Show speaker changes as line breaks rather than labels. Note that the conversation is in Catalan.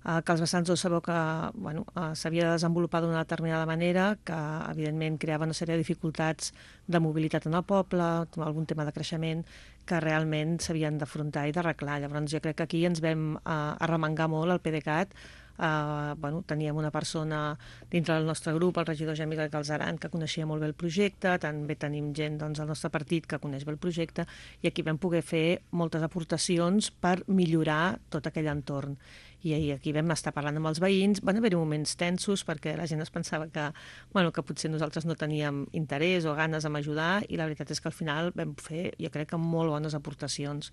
que els vessants 2 sabeu que s'havia de desenvolupar d'una determinada manera, que evidentment creava una sèrie de dificultats de mobilitat en el poble, algun tema de creixement, que realment s'havien d'afrontar i d'arreglar. Llavors jo crec que aquí ens vam arremangar molt al PDeCAT. Teníem una persona dintre del nostre grup, el regidor Jamil Galzeran, que coneixia molt bé el projecte, també tenim gent al nostre partit que coneix bé el projecte, i aquí vam poder fer moltes aportacions per millorar tot aquell entorn. I aquí vam estar parlant amb els veïns, van haver-hi moments tensos perquè la gent es pensava que potser nosaltres no teníem interès o ganes en ajudar, i la veritat és que al final vam fer, jo crec que molt bones aportacions.